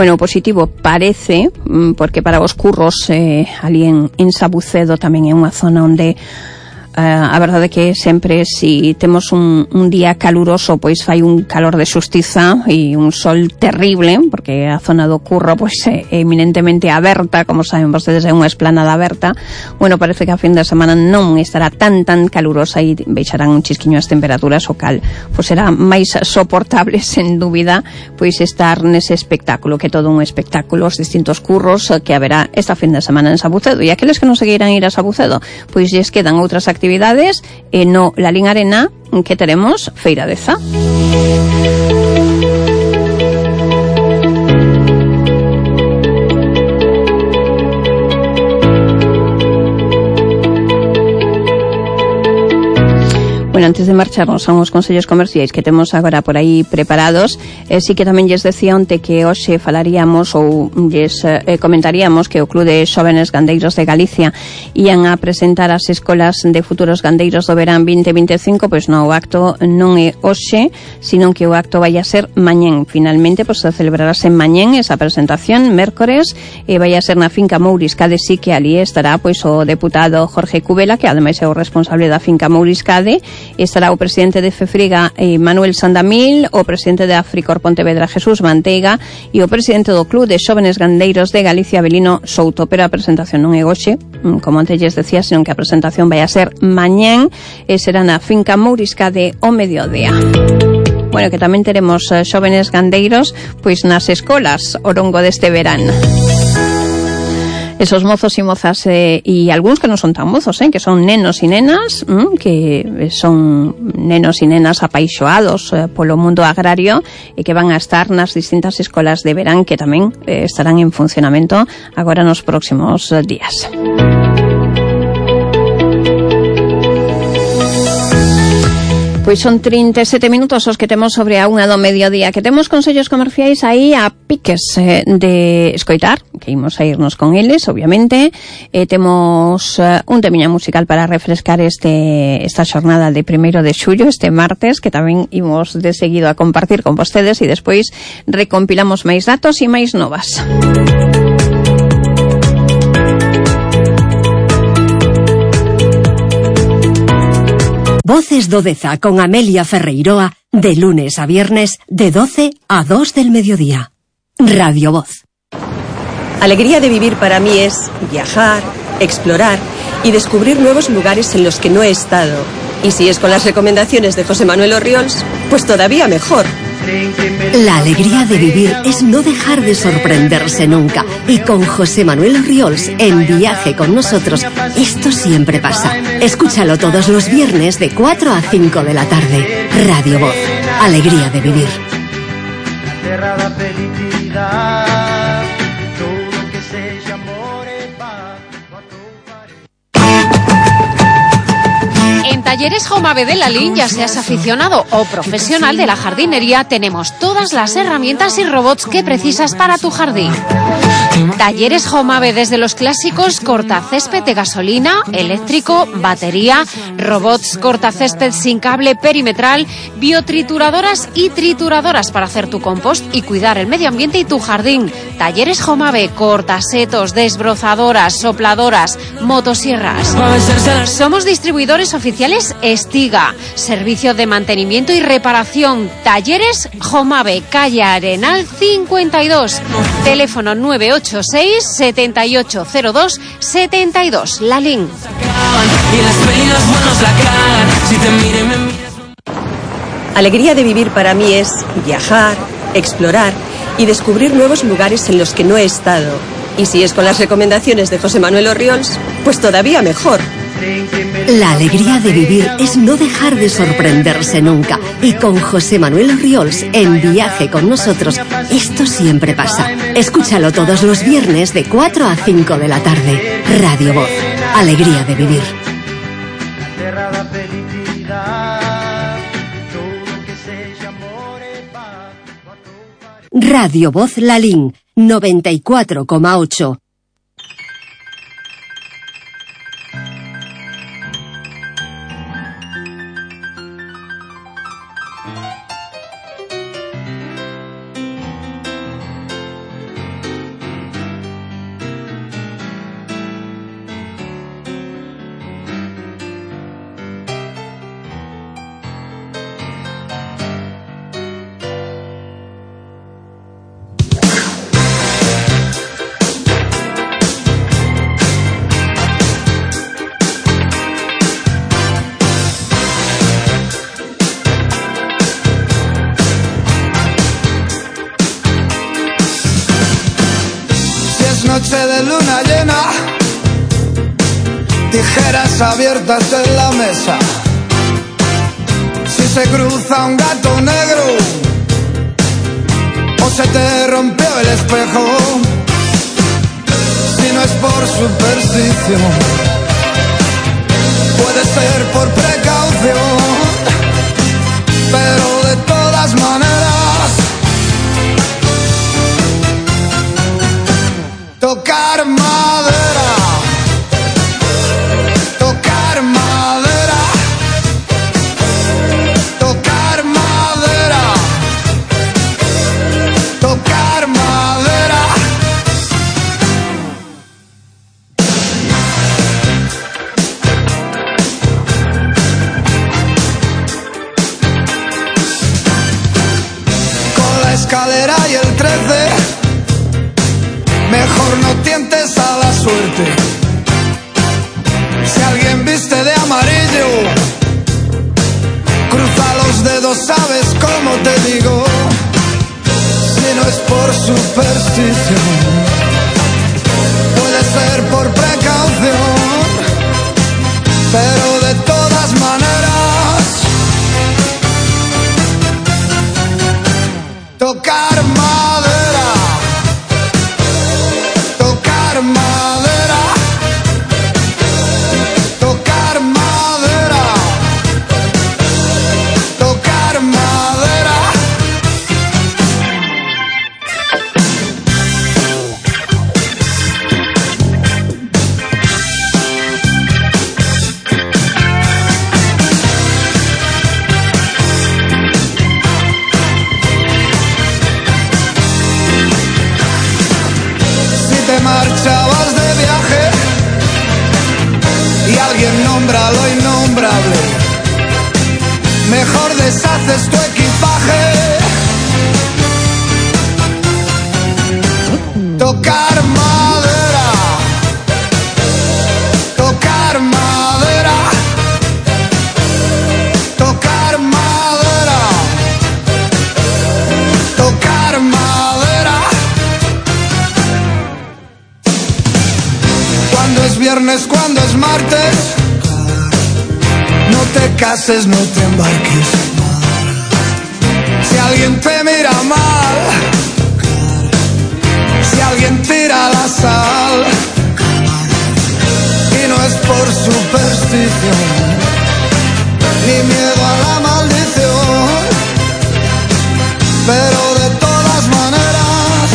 Bueno, positivo parece, porque para os curros ali en Sabucedo tamén é unha zona onde a verdade é que sempre si temos un día caluroso, pois fai un calor de xustiza e un sol terrible, porque a zona do curro pois é eminentemente aberta, como saben vostedes, é unha esplanada aberta. Bueno, parece que a fin de semana non estará tan calurosa e baixarán un chisquiño as temperaturas, o cal pois será máis soportable, sen dúbida, pois estar nese espectáculo, que é todo un espectáculo, os distintos curros que haberá esta fin de semana en Sabucedo. E aqueles que non se queiran ir a Sabucedo, pois lles quedan outras actividades actividades e no Lalín Arena que teremos Feira de Za. Bueno, antes de marcharnos a uns consellos comerciais que temos agora por aí preparados, sí que tamén lles decía onte que hoxe falaríamos ou lles comentaríamos que o Club de Xóvenes Gandeiros de Galicia ían a presentar as escolas de futuros gandeiros do verán 2025, pois no, o acto non é hoxe, sino que o acto vai a ser mañén. Finalmente, pois se celebrarase mañén esa presentación, mércores, e vai a ser na finca Mouriscade, sí que ali estará pois o deputado Jorge Cubela, que ademais é o responsable da finca Mouriscade. Estará o presidente de Fefriga, Manuel Sandamil, o presidente de Africor Pontevedra, Jesús Manteiga, e o presidente do Club de Xóvenes Gandeiros de Galicia, Abelino Souto. Pero a presentación non é hoxe, como antes lles decía, senón que a presentación vai a ser mañén e será na finca Mouriscade o mediodía. Bueno, que tamén teremos xóvenes gandeiros pois nas escolas ao longo deste verán. Esos mozos e mozas e algúns que non son tan mozos, que son nenos e nenas, que son nenos e nenas apaixoados polo mundo agrario e que van a estar nas distintas escolas de verán que tamén estarán en funcionamento agora nos próximos días. Pois son 37 minutos os que temos sobre a 1 do mediodía, que temos consellos comerciais aí a piques de escoitar, que imos a irnos con eles, obviamente. Temos un temiña musical para refrescar esta xornada de 1 de xullo, este martes, que tamén imos de seguido a compartir con vostedes e despois recompilamos máis datos e máis novas. Voces do Deza con Amelia Ferreiroa, de lunes a viernes, de 12 a 2 del mediodía. Radio Voz. Alegría de vivir para mí es viajar, explorar y descubrir nuevos lugares en los que no he estado. Y si es con las recomendaciones de José Manuel Orriols, pues todavía mejor. La alegría de vivir es no dejar de sorprenderse nunca. Y con José Manuel Orriols en Viaje con Nosotros, esto siempre pasa. Escúchalo todos los viernes de 4 a 5 de la tarde. Radio Voz. Alegría de vivir. En Talleres Jomave de Lalín, ya seas aficionado o profesional de la jardinería, tenemos todas las herramientas y robots que precisas para tu jardín. Talleres Jomave, desde los clásicos cortacésped de gasolina, eléctrico, batería, robots cortacésped sin cable perimetral, biotrituradoras y trituradoras para hacer tu compost y cuidar el medio ambiente y tu jardín. Talleres Jomave, cortasetos, desbrozadoras, sopladoras, motosierras. Somos distribuidores oficiales Estiga, servicio de mantenimiento y reparación. Talleres Jomave, calle Arenal 52, teléfono 986 7802 72, Lalín. Alegría de vivir para mí es viajar, explorar y descubrir nuevos lugares en los que no he estado. Y si es con las recomendaciones de José Manuel Orriols, pues todavía mejor. La alegría de vivir es no dejar de sorprenderse nunca. Y con José Manuel Orriols en Viaje con Nosotros, esto siempre pasa. Escúchalo todos los viernes de 4 a 5 de la tarde. Radio Voz. Alegría de vivir. Radio Voz Lalín 94,8. Noche de luna llena, Tijeras abiertas en la mesa. Si se cruza un gato negro o se te rompió el espejo, si no es por superstición, puede ser por precaución, pero de todas maneras, tocar madera, tocar madera, tocar madera, tocar madera. Con la escalera y el 13, mejor no tientes a la suerte. Si alguien viste de amarillo, cruza los dedos, sabes cómo te digo. Si no es por superstición, puede ser por precaución, pero de todas maneras, tocar madera, tocar madera, tocar madera, tocar madera. Si te marchabas de viaje y alguien nombra lo innombrable, mejor deshaces tu equipaje. Tocar madera, tocar madera, tocar madera, tocar madera. Cuando es viernes, cuando es martes, no te cases, no te embarques. Si alguien te mira mal, si alguien tira la sal, y no es por superstición, ni miedo a la maldición, pero de todas maneras,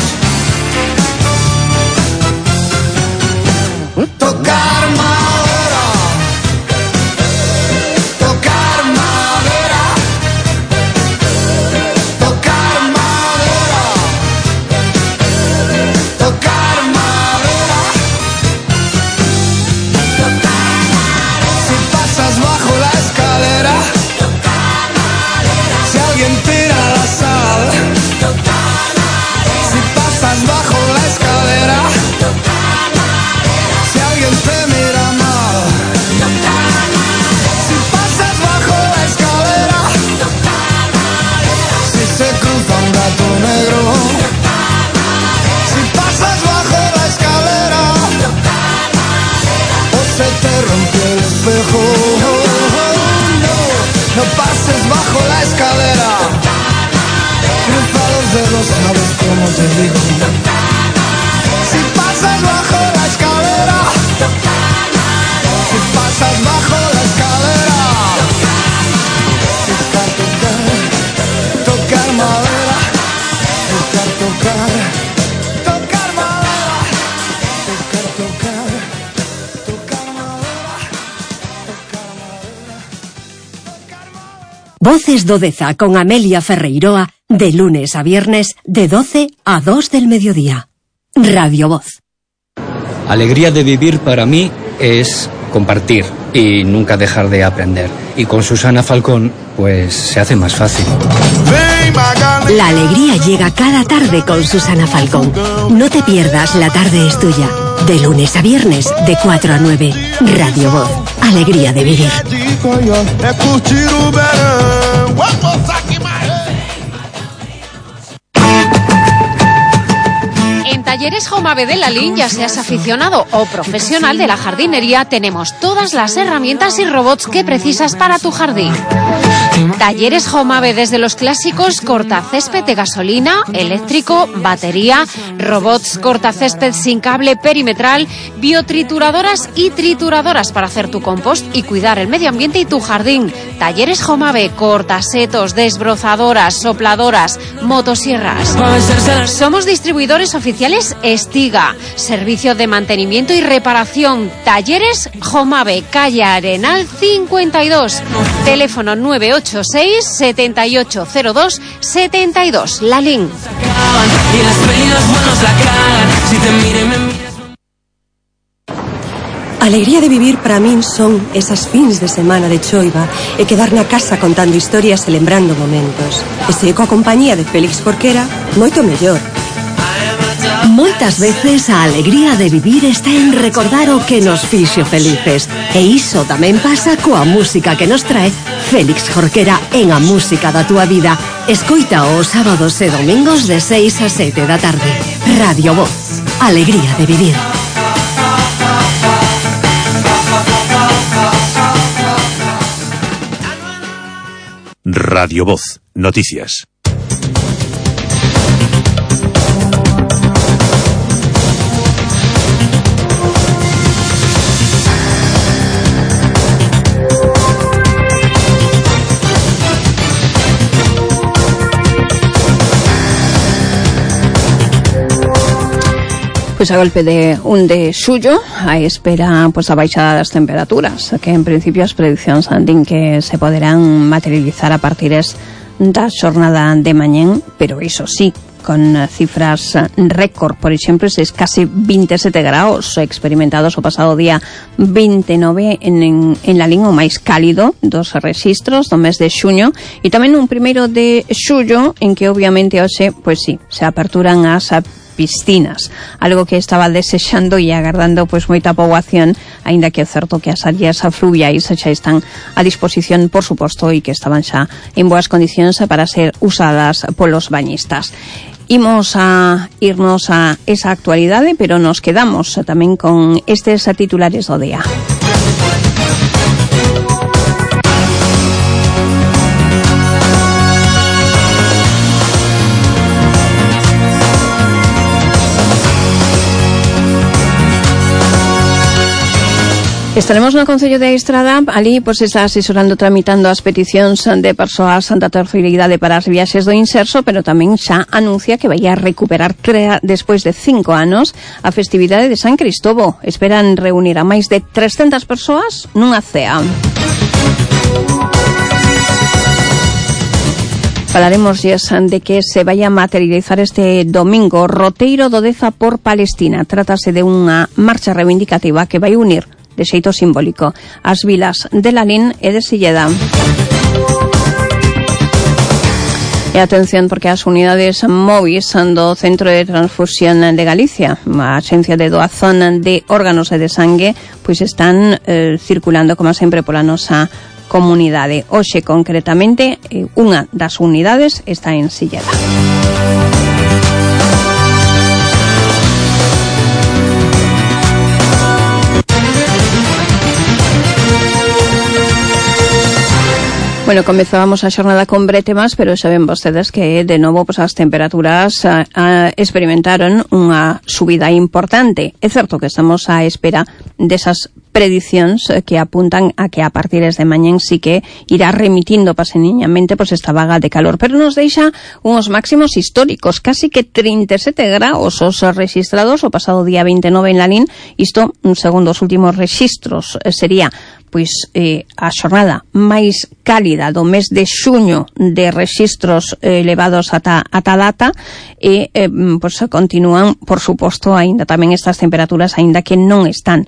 tocar madera, tocar madera, tocar madera, tocar madera. Si pasas bajo la escalera, si alguien tira la sal, si pasas bajo la escalera, si alguien te mira mal, si pasas bajo la escalera, si se cruza un gato negro, si pasas bajo la escalera, o se te rompió el espejo, no pases bajo la escalera, cruza los dedos, sabes cómo te digo. Si pasas bajo la escalera, si pasas bajo la escalera, tocar, tocar, tocar madera, tocar, tocar, tocar madera, tocar, tocar, tocar madera, tocar madera, tocar madera. Voces do Deza con Amelia Ferreiroa, de lunes a viernes, de 12 a 2 del mediodía. Radio Voz. Alegría de vivir para mí es compartir y nunca dejar de aprender. Y con Susana Falcón, pues se hace más fácil. La alegría llega cada tarde con Susana Falcón. No te pierdas La Tarde es Tuya. De lunes a viernes, de 4 a 9. Radio Voz. Alegría de vivir. Talleres Jomave de Lalín, ya seas aficionado o profesional de la jardinería, tenemos todas las herramientas y robots que precisas para tu jardín. Talleres Jomave, desde los clásicos cortacésped de gasolina, eléctrico, batería, robots cortacésped sin cable perimetral, biotrituradoras y trituradoras para hacer tu compost y cuidar el medio ambiente y tu jardín. Talleres Jomave, cortasetos, desbrozadoras, sopladoras, motosierras. Somos distribuidores oficiales Estiga, servicio de mantenimiento y reparación. Talleres Jomave, calle Arenal 52, teléfono 986 7802 72, Lalín. Alegría de vivir para min son esas fins de semana de choiva e quedar na casa contando historias e lembrando momentos. E se coa compañía de Félix Jorquera, moito mellor. Moitas veces a alegría de vivir está en recordar o que nos fixo felices. E iso tamén pasa coa música que nos trae Félix Jorquera en A Música da Túa Vida. Escoita os sábados e domingos de 6 a 7 da tarde. Radio Voz. Alegría de vivir. Radio Voz. Noticias. Pois a golpe de 1 de xullo a espera pois a baixada das temperaturas, que en principio as prediccións din que se poderán materializar a partires da xornada de mañén, pero iso sí, con cifras récord. Por exemplo, eses casi 27 graus experimentados o pasado día 29 en Lalín, o máis cálido dos rexistros do mes de xuño, e tamén un 1 de xullo en que obviamente hoxe, pois sí, se aperturan as piscinas, algo que estaba desexando e agardando pois moita poboación, aínda que é certo que as áreas fluviais xa están a disposición, por suposto, e que estaban xa en boas condicións para ser usadas polos bañistas. Imos a irnos a esa actualidade, pero nos quedamos tamén con estes titulares do día. Estaremos no Concello de Estrada, ali pois está asesorando, tramitando as peticións de persoas da terceira idade para as viaxes do Inserso, pero tamén xa anuncia que vai a recuperar despois de 5 anos a festividade de San Cristobo. Esperan reunir a máis de 300 persoas nunha cea. Falaremos de que se vai a materializar este domingo o roteiro do Deza por Palestina. Trátase de unha marcha reivindicativa que vai unir de xeito simbólico as vilas de Lalín e de Silleda. E atención, porque as unidades móviles do Centro de Transfusión de Galicia, a Axencia de Doazón de Órganos e de Sangue, pois están circulando, como sempre, pola nosa comunidade. Hoxe, concretamente, unha das unidades está en Silleda. Bueno, comezábamos a xornada con bretemas, pero xa ven vostedes que de novo pues, as temperaturas experimentaron unha subida importante. É certo que estamos á espera desas predicións que apuntan a que a partir de mañén sí que irá remitindo paseniñamente pues, esta vaga de calor, pero nos deixa uns máximos históricos, casi que 37 graus os registrados o pasado día 29 en Lalín. Isto, segundo os últimos registros, sería pois a xornada máis cálida do mes de xuño de rexistros elevados ata data, e pois continúan, por suposto, aínda tamén estas temperaturas, aínda que non están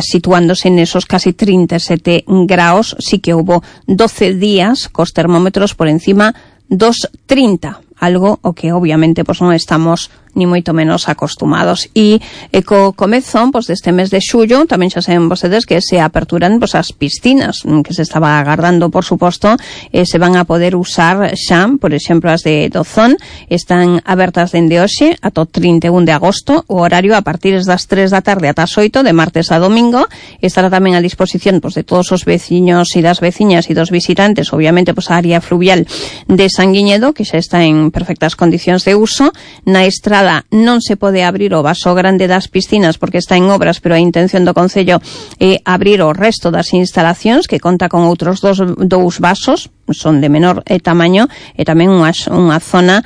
situándose nesos casi 37 graus. Sí que houbo 12 días cos termómetros por encima dos 30, algo o que obviamente pois non estamos ni moito menos acostumados. E co comezo pois, deste mes de xullo, tamén xa saben vostedes que se aperturan pois, as piscinas, que se estaba agardando, por suposto, se van a poder usar xa, por exemplo, as de Dozón, están abertas dende hoxe ata o 31 de agosto, o horario a partir das 3 da tarde ata as 8, de martes a domingo, estará tamén a disposición pois, de todos os veciños e das veciñas e dos visitantes, obviamente, pois, a área fluvial de Sanguiñedo, que xa está en perfectas condicións de uso. Na estrada non se pode abrir o vaso grande das piscinas porque está en obras, pero a intención do Concello é abrir o resto das instalacións, que conta con outros dous vasos, son de menor tamaño, e tamén unha zona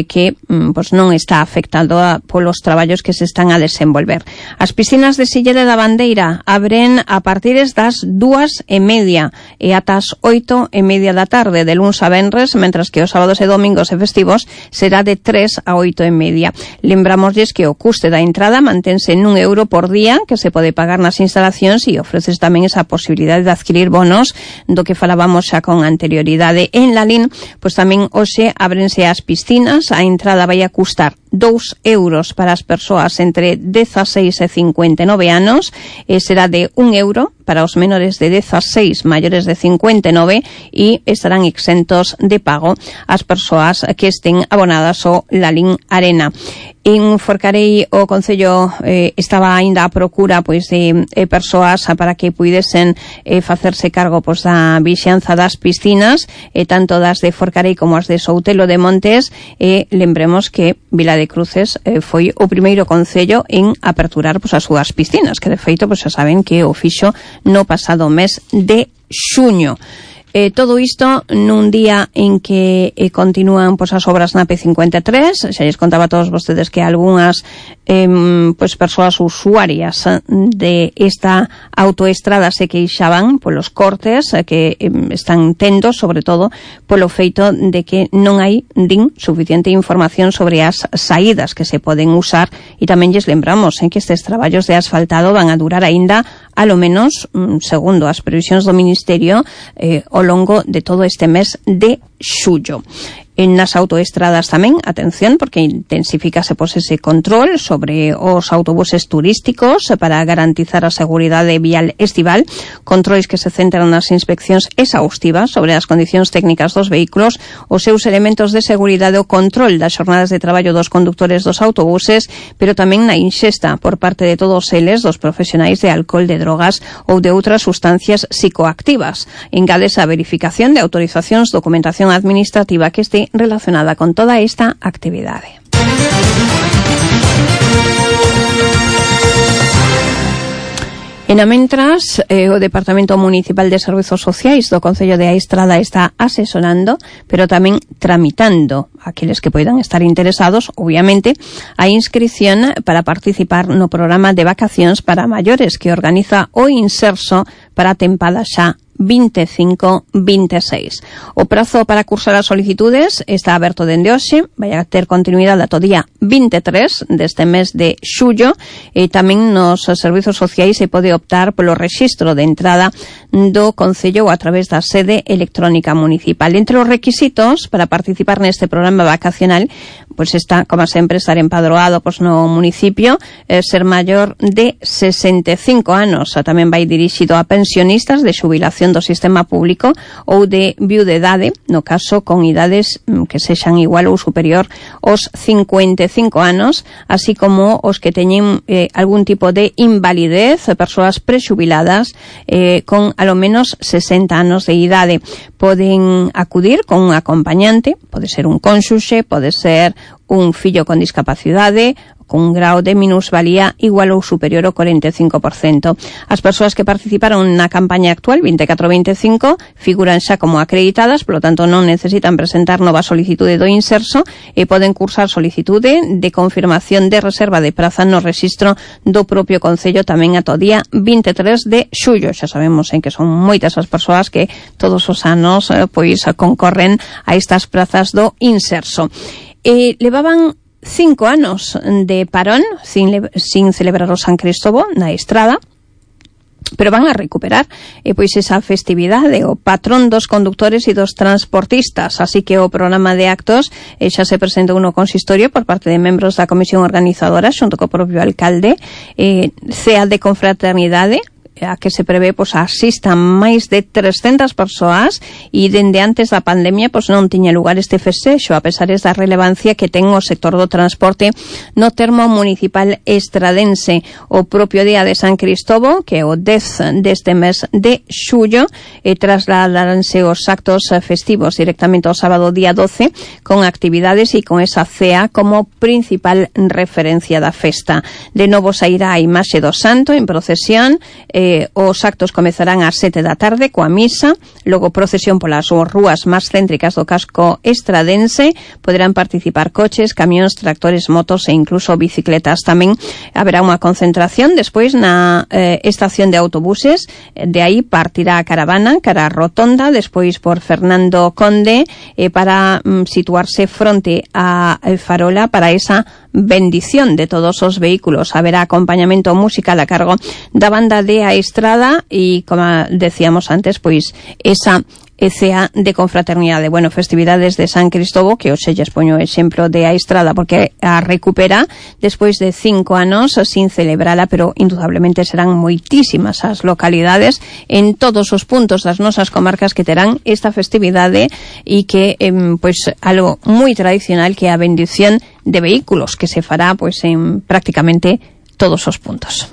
que pois non está afectada polos traballos que se están a desenvolver. As piscinas de Silleda da Bandeira abren a partir das 2:30 e ata as 8:30 da tarde, de luns a venres, mentras que os sábados e domingos e festivos será de 3 a 8:30. Lembramosles que o custe da entrada mantense en €1 por día, que se pode pagar nas instalacións, e ofreces tamén esa posibilidade de adquirir bonos do que falábamos xa con anterioridade. En Lalín, pois tamén hoxe ábrense as piscinas, a entrada vai a custar €2 para as persoas entre 16 e 59 anos, e será de €1 para os menores de 16 maiores de 59, e estarán exentos de pago as persoas que estén abonadas ao Lalín Arena. En Forcarei o Concello estaba aínda a procura pois de persoas para que puidesen facerse cargo pois da vixianza das piscinas, tanto das de Forcarei como as de Soutelo de Montes, e lembremos que Vila de Cruces foi o primeiro concello en aperturar pois as súas piscinas, que de feito pois xa saben que o fixo no pasado mes de xuño. Todo isto nun día en que continúan pois, as obras na P53. Xa lles contaba a todos vostedes que algunhas pois, persoas usuarias de esta autoestrada se queixaban polos cortes que están tendo, sobre todo polo feito de que non hai suficiente información sobre as saídas que se poden usar, e tamén lles lembramos que estes traballos de asfaltado van a durar aínda alo menos, segundo as previsións do Ministerio, ao longo de todo este mes de xullo. En nas autoestradas tamén, atención, porque intensifícase pois ese control sobre os autobuses turísticos para garantizar a seguridade vial estival, controis que se centran nas inspeccións exhaustivas sobre as condicións técnicas dos vehículos, os seus elementos de seguridade, o control das xornadas de traballo dos conductores dos autobuses, pero tamén na inxesta por parte de todos eles dos profesionais de alcohol, de drogas ou de outras sustancias psicoactivas. Engádese a verificación de autorizacións, documentación administrativa que este relacionada con toda esta actividade. En a mentras, o Departamento Municipal de Servizos Sociais do Concello de Aistrada está asesorando, pero tamén tramitando aqueles que poidan estar interesados, obviamente, a inscripción para participar no programa de vacacións para maiores que organiza o Inserso para a tempada xa 25-26. O prazo para cursar as solicitudes está aberto dende hoxe, vai a ter continuidade ata o día 23 deste mes de xullo, e tamén nos servizos sociais se pode optar polo rexistro de entrada do Concello a través da sede electrónica municipal. Entre os requisitos para participar neste programa vacacional, pois está, como sempre, estar empadroado pois no municipio, ser maior de 65 anos. Tamén vai dirixido a pensionistas de xubilación do sistema público ou de viudedade, no caso con idades que sexan igual ou superior aos 55 anos, así como os que teñen algún tipo de invalidez, persoas prexubiladas con alo menos 60 anos de idade. Poden acudir con un acompañante, pode ser un cónxuxe, pode ser un fillo con discapacidade, con un grau de minusvalía igual ou superior ao 45%. As persoas que participaron na campaña actual 24-25 figuran xa como acreditadas, polo tanto non necesitan presentar nova solicitude do Inserso e poden cursar solicitude de confirmación de reserva de praza no rexistro do propio Concello tamén ata o día 23 de xullo. Xa sabemos que son moitas as persoas que todos os anos pois concorren a estas prazas do Inserso. Levaban 5 anos de parón sin celebrar o San Cristóbal na Estrada, pero van a recuperar pois esa festividade, o patrón dos condutores e dos transportistas, así que o programa de actos xa se presentou no consistorio por parte de membros da comisión organizadora xunto co propio alcalde. Cea de confraternidade a que se prevé pois asistan máis de 300 persoas e dende antes da pandemia pois non tiña lugar este festexo, a pesar da relevancia que ten o sector do transporte no termo municipal estradense. O propio día de San Cristovo, que é o 10 deste mes de xullo, trasladaránse os actos festivos directamente ao sábado día 12 con actividades e con esa cea como principal referencia da festa. De novo sairá a imaxe do santo en procesión. Os actos comezarán ás 7 da tarde coa misa, logo procesión polas rúas máis céntricas do casco estradense. Poderán participar coches, camións, tractores, motos e incluso bicicletas. Tamén haberá unha concentración despois na estación de autobuses, de aí partirá a caravana cara a Rotonda, despois por Fernando Conde para situarse fronte a Farola para esa bendición de todos os vehículos. Haberá acompañamento musical a cargo da banda de A Estrada e, como decíamos antes, pois esa cea de confraternidade. Bueno, festividades de San Cristovo, que hoxe lles poño o exemplo de A Estrada porque a recupera despois de 5 anos sin celebrala, pero indudablemente serán moitísimas as localidades en todos os puntos das nosas comarcas que terán esta festividade e que pois algo moi tradicional, que é a bendición de vehículos, que se fará pois en prácticamente todos os puntos.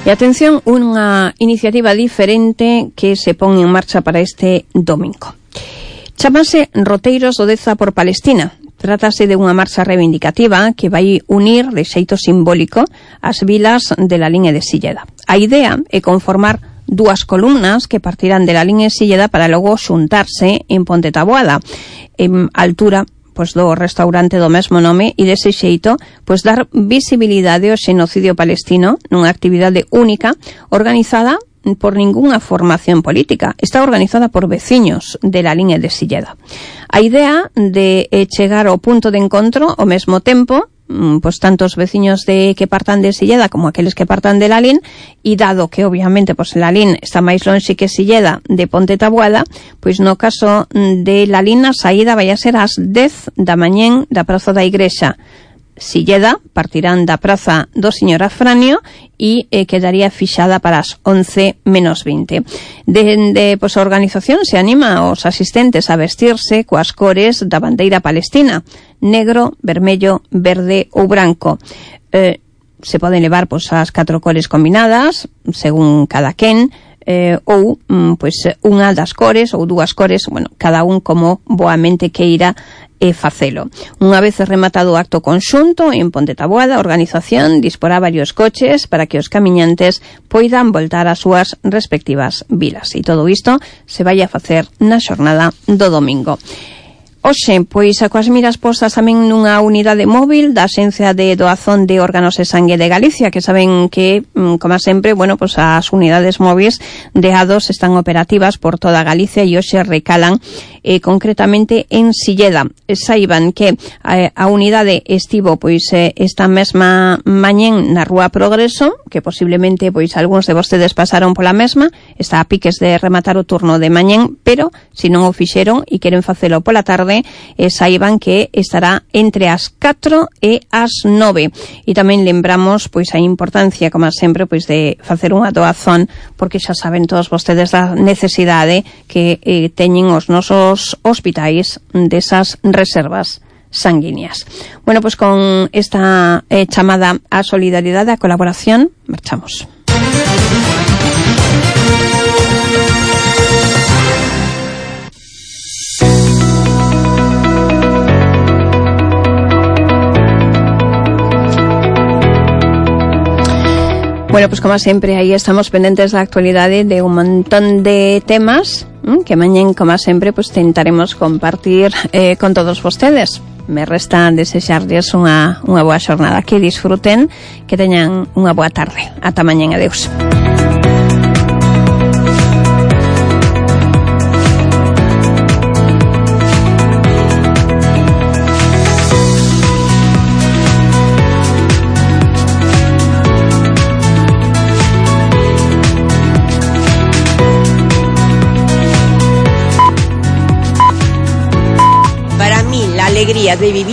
E atención, unha iniciativa diferente que se pon en marcha para este domingo. Chámase Roteiros do Deza por Palestina. Trátase de unha marcha reivindicativa que vai unir de xeito simbólico as vilas de Lalín e de Silleda. A idea é conformar dúas columnas que partirán de Lalín e Silleda para logo xuntarse en Ponte Taboada, en altura pois do restaurante do mesmo nome, e dese xeito pois dar visibilidade ao xenocidio palestino nunha actividade única organizada por ningunha formación política. Está organizada por veciños de Lalín e de Silleda. A idea de chegar ao punto de encontro ao mesmo tempo, pois tanto os veciños que partan de Silleda como aqueles que partan de Lalín, e dado que obviamente pois Lalín está máis lonxe que Silleda de Ponte Taboada, pois no caso de Lalín a saída vai a ser ás 10 da mañén da Praza da Igrexa. Silleda partirán da Praza do Señor Afranio e quedaría fixada para as 11 menos 20. Dende pois a organización se anima aos asistentes a vestirse coas cores da bandeira palestina: negro, vermello, verde ou branco. Se poden levar pois as 4 cores combinadas según cada quen, ou pois unha das cores ou 2 cores, bueno, cada un como boamente queira facelo. Unha vez rematado o acto conxunto en Ponte Taboada, a organización disporá varios coches para que os camiñantes poidan voltar ás súas respectivas vilas. E todo isto se vai a facer na xornada do domingo. Oxe, pois coas miras postas tamén nunha unidade móvil da Axencia de Doazón de Órganos e Sangue de Galicia, que saben que, como sempre, bueno, pois as unidades móviles de A2 están operativas por toda Galicia e hoxe recalan concretamente en Silleda. Saiban que a unidade estivo pois esta mesma mañén na Rúa Progreso, que posiblemente pois algúns de vostedes pasaron pola mesma, está a piques de rematar o turno de mañén, pero se non o fixeron e queren facelo pola tarde, saiban que estará entre as 4 e as 9. E tamén lembramos pois a importancia, como sempre, pois de facer unha doazón, porque xa saben todos vostedes da necesidade que teñen os nosos hospitais desas reservas sanguíneas. Bueno, pois con esta chamada á solidaridade, á colaboración, marchamos. Bueno, pues como sempre, aí estamos pendentes da actualidade de un montón de temas que mañén, como sempre, pues tentaremos compartir con todos vostedes. Me resta desexarles unha boa xornada, que disfruten, que teñan unha boa tarde. Ata mañén, adeus. de vivir